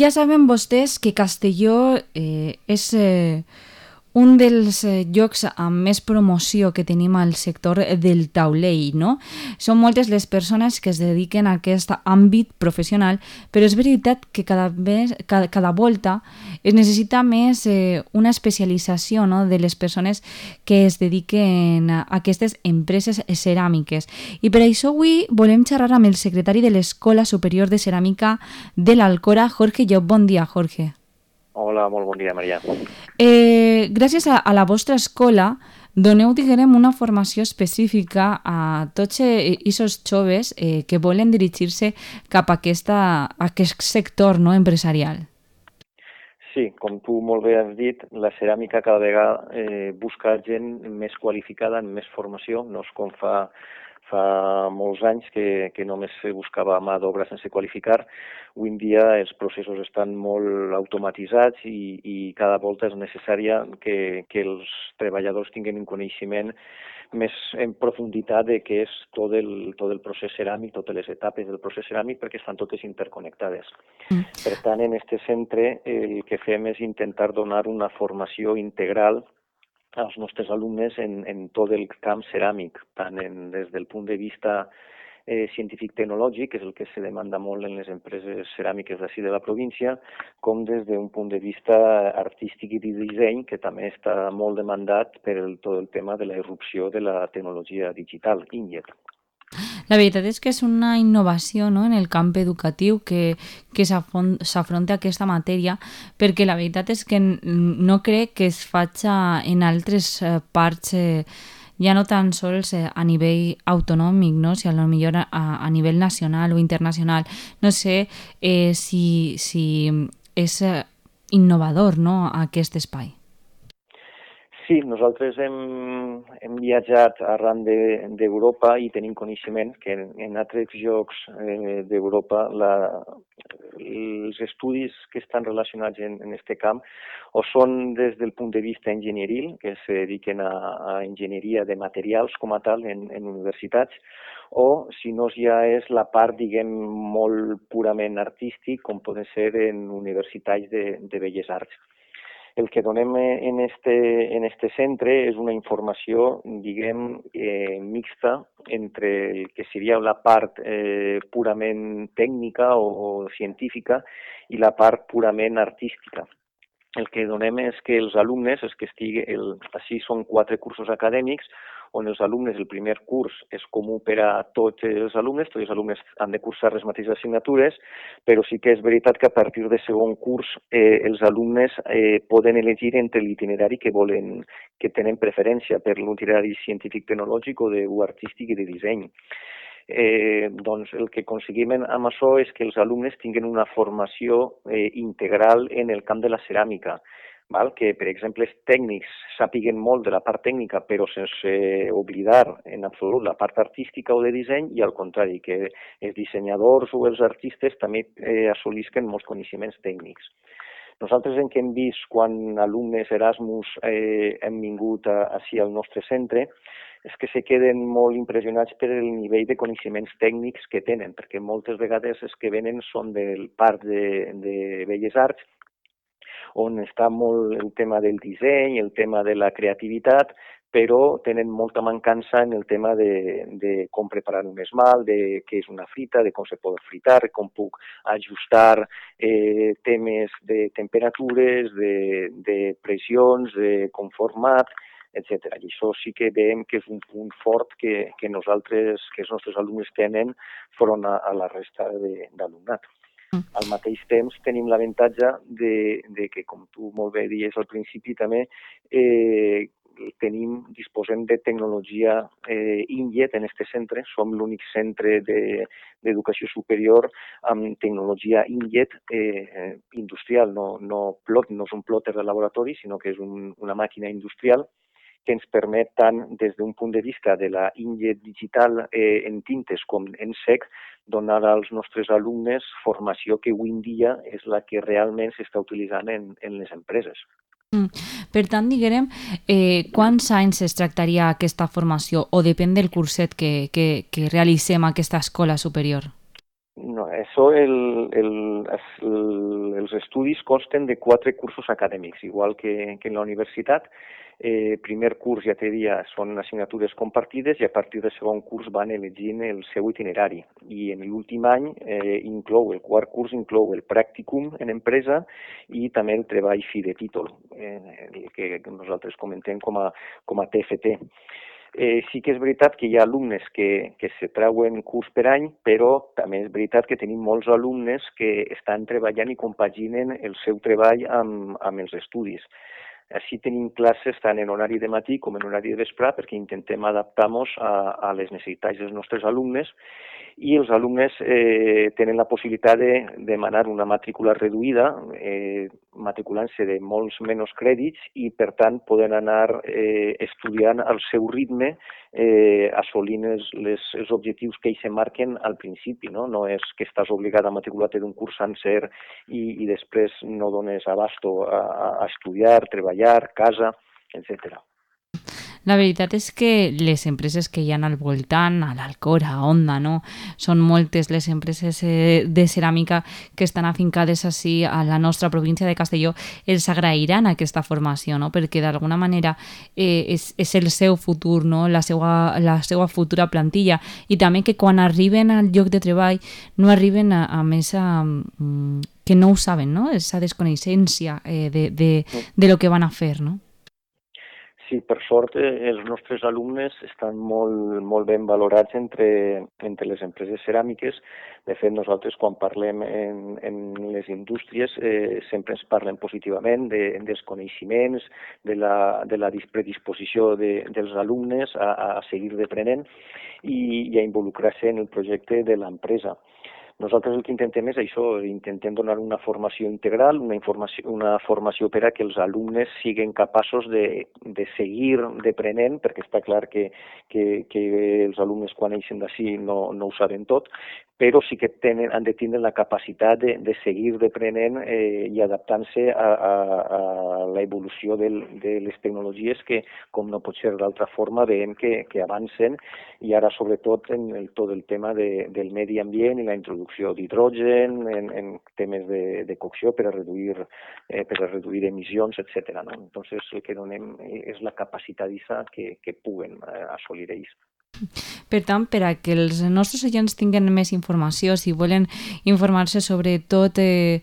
Ja saben vostès que Castelló és un dels llocs amb més promoció que tenim al sector del taulell, no? Són moltes les persones que es dediquen a aquest àmbit professional, però és veritat que cada volta es necessita més una especialització, no?, de les persones que es dediquen a aquestes empreses ceràmiques. I per això avui volem xerrar amb el secretari de l'Escola Superior de Ceràmica de l'Alcora, Jorge Llop. Bon dia, Jorge. Hola, molt bon dia, Maria. Gràcies a la vostra escola doneu, diguem, una formació específica a tots aquests joves que volen dirigir-se cap a aquest sector, no, empresarial. Sí, com tu molt bé has dit, la ceràmica cada vegada busca gent més qualificada, amb més formació, no és com fa molts anys que només se buscava mà d'obra sense qualificar. Avui en dia els processos estan molt automatitzats i cada volta és necessària que els treballadors tinguin un coneixement més en profunditat de què és tot el procés ceràmic, totes les etapes del procés ceràmic, perquè estan totes interconnectades. Per tant, en aquest centre el que fem és intentar donar una formació integral als nostres alumnes en tot el camp ceràmic, tant des del punt de vista científic-tecnològic, que és el que se demanda molt en les empreses ceràmiques d'ací de la província, com des d'un punt de vista artístic i de disseny, que també està molt demandat per tot el tema de la irrupció de la tecnologia digital, Inkjet. La veritat és que és una innovació, no?, en el camp educatiu que s'afronta aquesta matèria, perquè la veritat és que no crec que es faci en altres parts, ja no tan sols a nivell autonòmic, no?, sinó potser a nivell nacional o internacional. No sé si és innovador, no?, aquest espai. Sí, nosaltres hem viatjat arran d'Europa i tenim coneixement que en altres llocs d'Europa els estudis que estan relacionats en aquest camp o són des del punt de vista enginyeril, que se dediquen a enginyeria de materials com a tal en universitats, o si no ja és la part, diguem, molt purament artístic, com poden ser en universitats de belles arts. El que donem en este centre és una informació, diguem, mixta entre el que seria la part purament tècnica o científica i la part purament artística. El que donem és que els alumnes, així són 4 cursos acadèmics, on els alumnes, el primer curs és comú per a tots els alumnes han de cursar les mateixes assignatures, però sí que és veritat que a partir del segon curs els alumnes poden elegir entre l'itinerari que tenen preferència per l'itinerari científic-tecnològic o artístic i de disseny. Doncs el que aconseguim amb això és que els alumnes tinguin una formació integral en el camp de la ceràmica, que, per exemple, els tècnics sàpiguen molt de la part tècnica, però sense oblidar en absolut la part artística o de disseny, i al contrari, que els dissenyadors o els artistes també assolisquen molts coneixements tècnics. Nosaltres en què hem vist quan alumnes Erasmus hem vingut així al nostre centre és que se queden molt impressionats per el nivell de coneixements tècnics que tenen, perquè moltes vegades els que venen són del part de Belles Arts, on està molt el tema del disseny, el tema de la creativitat, però tenen molta mancança en el tema de com preparar un esmalt, de què és una frita, de com se pot fritar, com puc ajustar temes de temperatures, de pressions, de conformat, etc. I això sí que veiem que és un punt fort que els nostres alumnes tenen front a la resta d'alumnat. Al mateix temps tenim l'avantatge de que, com tu molt bé dius al principi també, disposem de tecnologia Inkjet en aquest centre. Som l'únic centre d'educació superior amb tecnologia Inkjet industrial, no és un plotter de laboratori, sinó que és una màquina industrial que ens permet tant des d'un punt de vista de la Inkjet digital en tintes com en sec donar als nostres alumnes formació que avui en dia és la que realment s'està utilitzant en les empreses. Per tant, diguem, quants anys es tractaria aquesta formació o depèn del curset que realitzem a aquesta escola superior? No, això els estudis consten de 4 cursos acadèmics, igual que en la universitat. Primer curs, ja t'he dit, són assignatures compartides i a partir del segon curs van elegint el seu itinerari. I en l'últim any el quart curs inclou el pràcticum en empresa i també el treball fi de títol, el que nosaltres comentem com a TFT. Sí que és veritat que hi ha alumnes que se treuen curs per any, però també és veritat que tenim molts alumnes que estan treballant i compaginen el seu treball amb els estudis. Així tenim classes tant en horari de matí com en horari de vespre perquè intentem adaptar-nos a les necessitats dels nostres alumnes i els alumnes tenen la possibilitat de demanar una matrícula reduïda, matriculant-se de molts menys crèdits i, per tant, poden anar estudiant al seu ritme, assolint els objectius que ells se marquen al principi. No és que estàs obligat a matricular-te d'un curs sencer i després no dones abasto a estudiar, treballar, casa, etc. La veritat és que les empreses que hi ha al voltant, a l'Alcora, a Onda, no? Són moltes les empreses de ceràmica que estan afincades així a la nostra província de Castelló. Els agrairan aquesta formació, no? Perquè d'alguna manera és el seu futur, no? La seva futura plantilla. I també que quan arriben al lloc de treball no arriben a més que no ho saben, no? Esa desconeixença de lo que van a fer, no? Sí, per sort, els nostres alumnes estan molt ben valorats entre les empreses ceràmiques. De fet, nosaltres, quan parlem en les indústries, sempre ens parlen positivament dels coneixements, de la predisposició dels alumnes a seguir aprenent i a involucrar-se en el projecte de l'empresa. Nosaltres el que intentem és això, intentem donar una formació integral, una formació per a que els alumnes siguin capaços de seguir aprenent, perquè està clar que els alumnes quan eixen d'ací no ho saben tot, però sí que han de tindre la capacitat de seguir aprenent i adaptant-se a l'evolució de les tecnologies que, com no pot ser d'altra forma, veiem que avancen i ara sobretot en tot el tema del medi ambient i la introducció d'hidrogen, en temes de cocció per a reduir emissions, etc. No? Entonces el que donem és la capacitat que puguen assolir ells. Per tant, per a que els nostres oients tinguin més informació, si volen informar-se sobre tot el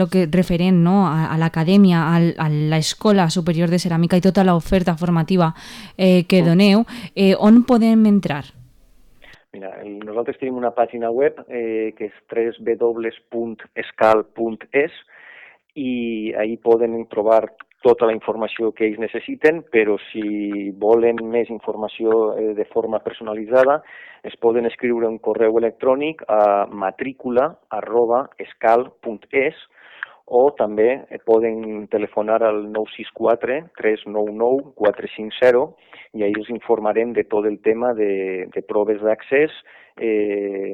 que referent, no, a l'acadèmia, a l'Escola Superior de Ceràmica i tota l'oferta formativa que doneu, on podem entrar? Mira, nosaltres tenim una pàgina web que és www.escal.es i ahí poden trobar tota la informació que ells necessiten, però si volen més informació de forma personalitzada, es poden escriure un correu electrònic a matrícula@escal.es o també poden telefonar al 964 399 450 i ahí els informarem de tot el tema de proves d'accés,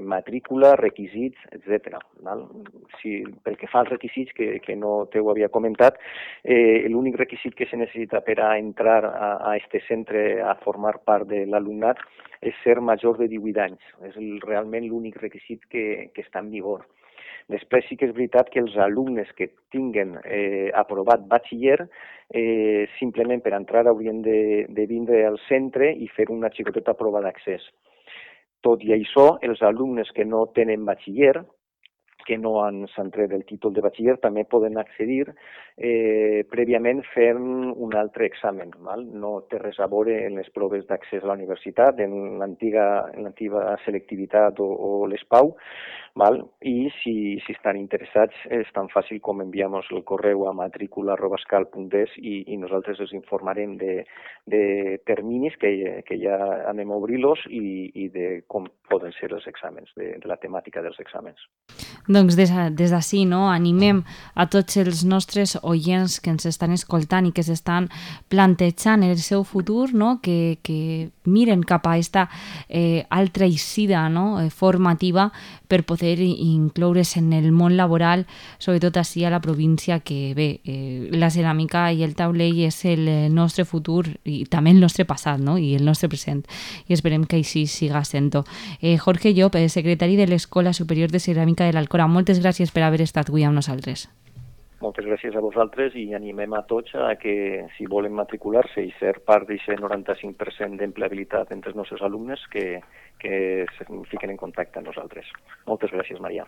matrícula, requisits, etc. Pel que fa als requisits, que no t'ho havia comentat, l'únic requisit que se necessita per a entrar a este centre a formar part de l'alumnat és ser major de 18 anys. És realment l'únic requisit que està en vigor. Després sí que és veritat que els alumnes que tinguen aprovat batxiller simplement per entrar haurien de vindre al centre i fer una xicoteta prova d'accés. Tot i això, els alumnes que no tenen batxiller, que no s'han tret el títol de batxiller, també poden accedir prèviament fent un altre examen. No té res a veure en les proves d'accés a la universitat, en l'antiga selectivitat o l'ESPAU, i si estan interessats és tan fàcil com enviar-nos el correu a matrícula@escal.es i nosaltres els informarem de terminis que ja anem a obrir-los i de com poden ser els exàmens, de la temàtica dels exàmens. Doncs des d'ací, no, animem a tots els nostres oients que ens estan escoltant i que s'estan plantejant el seu futur, no, que miren cap a aquesta altra eixida, no, formativa per poder incloure's en el món laboral, sobretot així a la província, que bé, la ceràmica i el taulell és el nostre futur i també el nostre passat, no, i el nostre present, i esperem que així siga sent-ho. Jorge Llop, secretari de l'Escola Superior de Ceràmica de l'Alcora, moltes gràcies per haver estat avui amb nosaltres. Moltes gràcies a vosaltres i animem a tots a que, si volen matricular-se i ser part d'aquest 95% d'empleabilitat entre els nostres alumnes, que es fiquen en contacte amb nosaltres. Moltes gràcies, Maria.